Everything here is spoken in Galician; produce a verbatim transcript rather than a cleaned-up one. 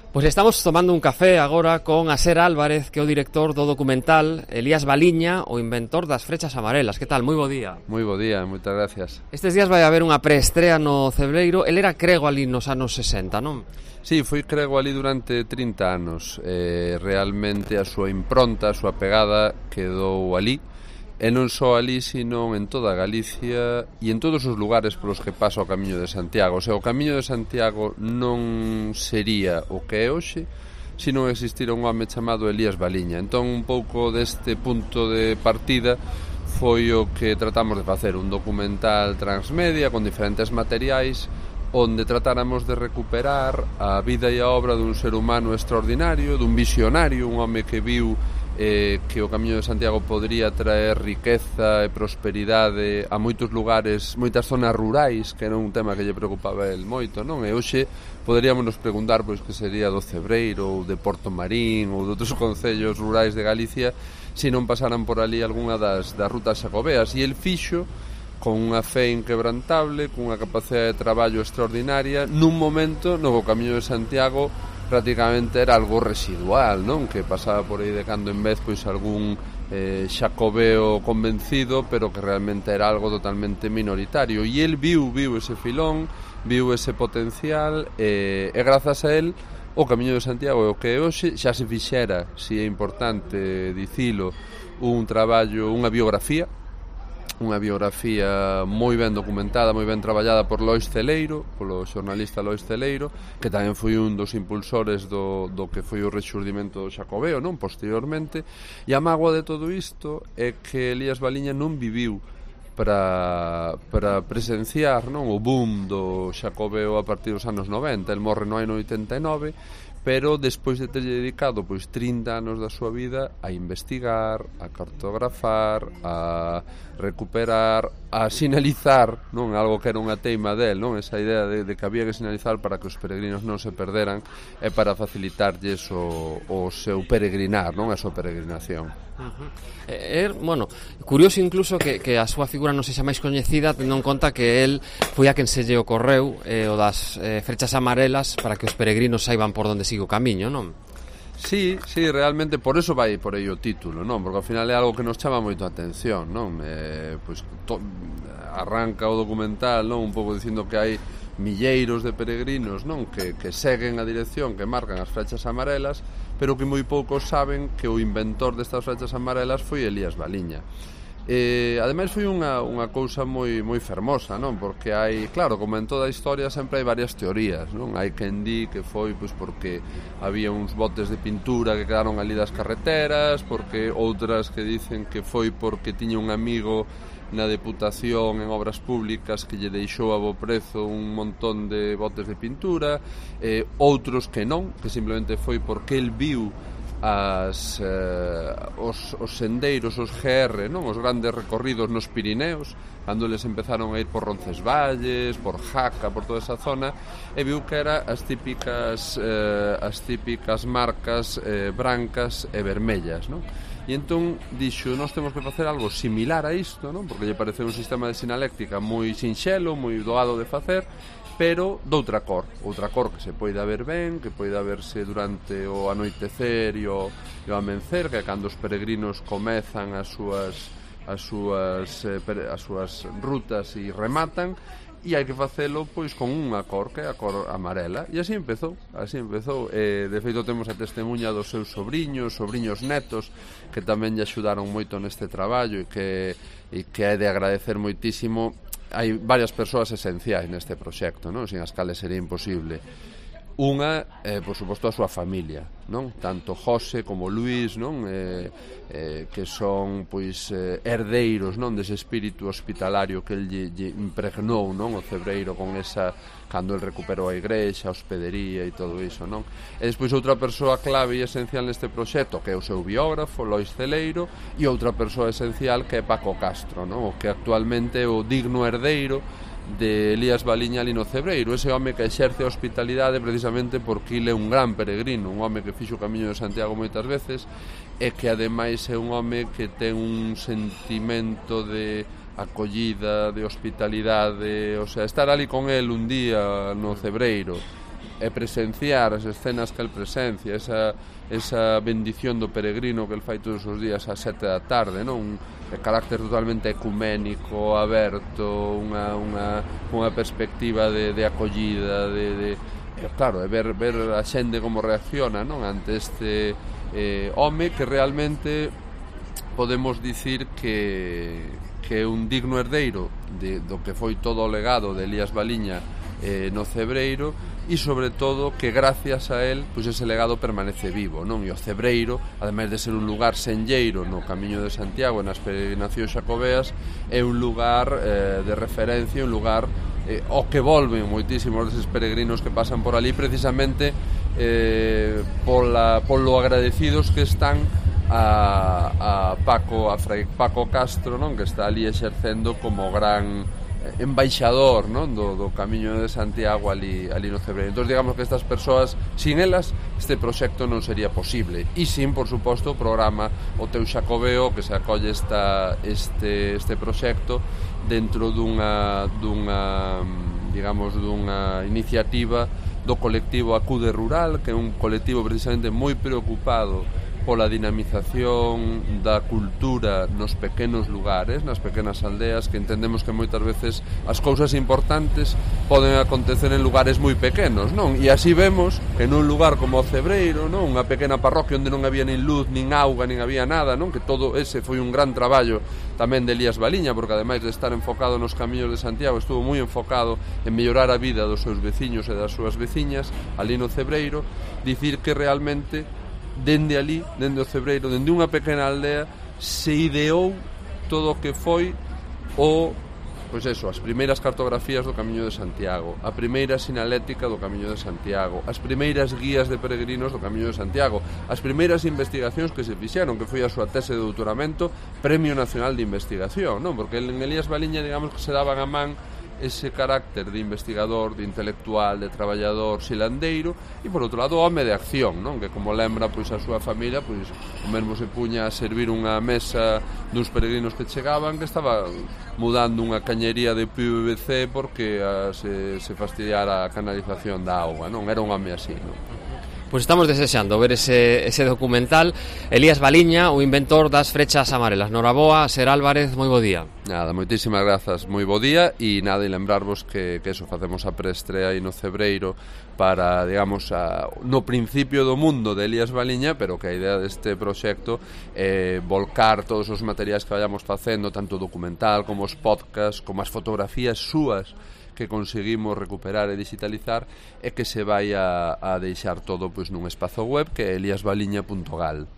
Pois estamos tomando un café agora con Aser Álvarez, que é o director do documental, Elías Baliña, o inventor das frechas amarelas. Que tal? Moi bo día. Moi bo día, moitas gracias. Estes días vai haber unha preestrea no Cebreiro. El era crego ali nos anos sesenta, non? Sí, foi crego ali durante trinta anos. Eh, realmente a súa impronta, a súa pegada quedou ali. E non só ali, sino en toda Galicia e en todos os lugares polos que pasa o Camiño de Santiago. O sea, o Camiño de Santiago non sería o que é hoxe se non existira un home chamado Elías Baliña. Entón, un pouco deste punto de partida foi o que tratamos de facer, un documental transmedia con diferentes materiais onde tratáramos de recuperar a vida e a obra dun ser humano extraordinario, dun visionario, un home que viu eh, que o Camiño de Santiago podría traer riqueza e prosperidade a moitos lugares, moitas zonas rurais, que era un tema que lle preocupaba el moito, non? E hoxe poderíamos nos preguntar pois que sería do Cebreiro ou de Porto Marín ou de outros concellos rurais de Galicia se non pasaran por ali algunha das, das rutas xacobeas. E el fixo con unha fe inquebrantable, con unha capacidade de traballo extraordinaria, nun momento no que o Camiño de Santiago prácticamente era algo residual, non? Que pasaba por aí de cando en vez pois algún eh, xacobeo convencido, pero que realmente era algo totalmente minoritario. E el viu, viu ese filón, viu ese potencial, e, e grazas a el o Camiño de Santiago é o que hoxe xa se fixera, si é importante dicilo, un traballo, unha biografía, unha biografía moi ben documentada, moi ben traballada por Lois Celeiro, polo xornalista Lois Celeiro, que tamén foi un dos impulsores do, do que foi o rexurdimento do xacobeo, non? Posteriormente, e a mágoa de todo isto é que Elías Baliña non viviu para, para presenciar, non, o boom do xacobeo a partir dos anos noventa. El morre no ano oitenta e nove, pero despois de ter dedicado pois trinta anos da súa vida a investigar, a cartografar, a recuperar, a sinalizar, non, algo que era unha teima del, non, esa idea de, de que había que sinalizar para que os peregrinos non se perderan e para facilitarlles o, o seu peregrinar, non, a súa peregrinación. Uh-huh. É, bueno, curioso incluso que, que a súa figura non sexa máis coñecida, tendo en conta que el foi a quen se lle ocorreu eh, o das eh, frechas amarelas para que os peregrinos saiban por onde sigue o camiño, non? Sí, sí, realmente por eso vai por aí o título, non? Porque ao final é algo que nos chama moito a atención, non? Eh, pois to, arranca o documental, non? Un pouco dicindo que hai milleiros de peregrinos, non? Que, que seguen a dirección que marcan as flechas amarelas, pero que moi poucos saben que o inventor destas flechas amarelas foi Elías Baliña. Eh, ademais foi unha, unha cousa moi moi fermosa, non? Porque hai, claro, como en toda a historia sempre hai varias teorías, non? Hai quen di que foi pois porque había uns botes de pintura que quedaron ali das carreteras, porque outras que dicen que foi porque tiña un amigo na Deputación en Obras Públicas que lle deixou a bo prezo un montón de botes de pintura, eh, outros que non, que simplemente foi porque el viu as, eh, os, os sendeiros, os G R, non? Os grandes recorridos nos Pirineos, cando eles empezaron a ir por Roncesvalles, por Jaca, por toda esa zona, e viu que era as típicas eh, as típicas marcas eh, brancas e vermellas, non? E entón dixo, nós temos que facer algo similar a isto, non? Porque lle pareceu un sistema de sinaléctrica moi sinxelo, moi doado de facer, pero doutra cor, outra cor que se poida ver ben, que poida verse durante o anoitecer e o, e o amencer, que é cando os peregrinos comezan as súas as súas eh, as súas rutas e rematan, e hai que facelo pois con unha cor que é a cor amarela, e así empezou, así empezou. Eh, de feito temos a testemunha dos seus sobriños, sobriños netos, que tamén lle axudaron moito neste traballo e que e que é de agradecer moitísimo. Hai varias persoas esenciais neste proxecto, non? Sin as cales sería imposible. Unha, eh, por suposto, a súa familia, non? Tanto José como Luís, non? Eh, eh, que son, pois, eh, herdeiros, non? Dese espírito hospitalario que el lle, lle impregnou, non? O Cebreiro con esa, cando el recuperou a igrexa, a hospedería e todo iso, non? E despois outra persoa clave e esencial neste proxecto, que é o seu biógrafo, Lois Celeiro, e outra persoa esencial que é Paco Castro, non? O que actualmente é o digno herdeiro de Elías Baliña ali no Cebreiro, ese home que exerce a hospitalidade precisamente porque ele é un gran peregrino, un home que fixo o Camiño de Santiago moitas veces e que ademais é un home que ten un sentimento de acollida, de hospitalidade, o sea, estar ali con el un día no Cebreiro e presenciar as escenas que el presencia, esa, esa bendición do peregrino que el fai todos os días ás sete da tarde, non? Un carácter totalmente ecuménico, aberto, unha, unha, unha perspectiva de, de acollida, de, de, claro, de ver, ver a xente como reacciona, non? Ante este eh, home que realmente podemos dicir que, que é un digno herdeiro de, do que foi todo o legado de Elías Baliña eh, no Cebreiro, e sobre todo que gracias a él pois ese legado permanece vivo, non? E o Cebreiro, ademais de ser un lugar senlleiro no Camiño de Santiago, nas peregrinacións xacobeas, é un lugar eh, de referencia, un lugar eh, ao que volven moitísimos deses peregrinos que pasan por ali, precisamente eh, pola, polo agradecidos que están a, a Paco, a Fray Paco Castro, non? Que está ali exercendo como gran embaixador, non? Do, do Camiño de Santiago ali, ali no Cebreiro. Entón, digamos que estas persoas, sin elas, este proxecto non sería posible. E sin, por suposto, o programa O Teu Xacobeo, que se acolle esta, este, este proxecto dentro dunha, dunha, digamos, dunha iniciativa do colectivo Acude Rural, que é un colectivo precisamente moi preocupado pola dinamización da cultura nos pequenos lugares, nas pequenas aldeas, que entendemos que moitas veces as cousas importantes poden acontecer en lugares moi pequenos, non? E así vemos que nun lugar como o Cebreiro, non? Unha pequena parroquia onde non había nin luz, nin auga, nin había nada, non? Que todo ese foi un gran traballo tamén de Elías Baliña, porque ademais de estar enfocado nos camiños de Santiago, estuvo moi enfocado en mellorar a vida dos seus veciños e das súas veciñas ali no Cebreiro. Dicir que realmente dende ali, dende o Cebreiro, dende unha pequena aldea, se ideou todo o que foi o, pois eso, as primeiras cartografías do Camiño de Santiago, a primeira sinalética do Camiño de Santiago, as primeiras guías de peregrinos do Camiño de Santiago, as primeiras investigacións que se fixeron, que foi a súa tese de doutoramento, Premio Nacional de Investigación, non? Porque en Elías Baliña, digamos que se daban a man ese carácter de investigador, de intelectual, de traballador silandeiro, e por outro lado o home de acción, non? Que como lembra pois a súa familia, pois o mesmo se puña a servir unha mesa duns peregrinos que chegaban, que estaba mudando unha cañería de P V C porque a, se, se fastidiara a canalización da auga, non? Era un home así, non? Pois estamos desexando ver ese, ese documental. Elías Baliña, o inventor das frechas amarelas. Noraboa, Ser Álvarez, moi bo día. Nada, moitísimas grazas, moi bo día, e nada, e lembrarvos que, que eso, facemos a preestrea aí no Cebreiro para, digamos, a, no principio do mundo de Elías Baliña, pero que a idea deste proxecto é eh, volcar todos os materiais que vayamos facendo, tanto o documental como os podcasts, como as fotografías súas que conseguimos recuperar e digitalizar, e que se vai a, a deixar todo pois nun espazo web que é elias baliña punto gal.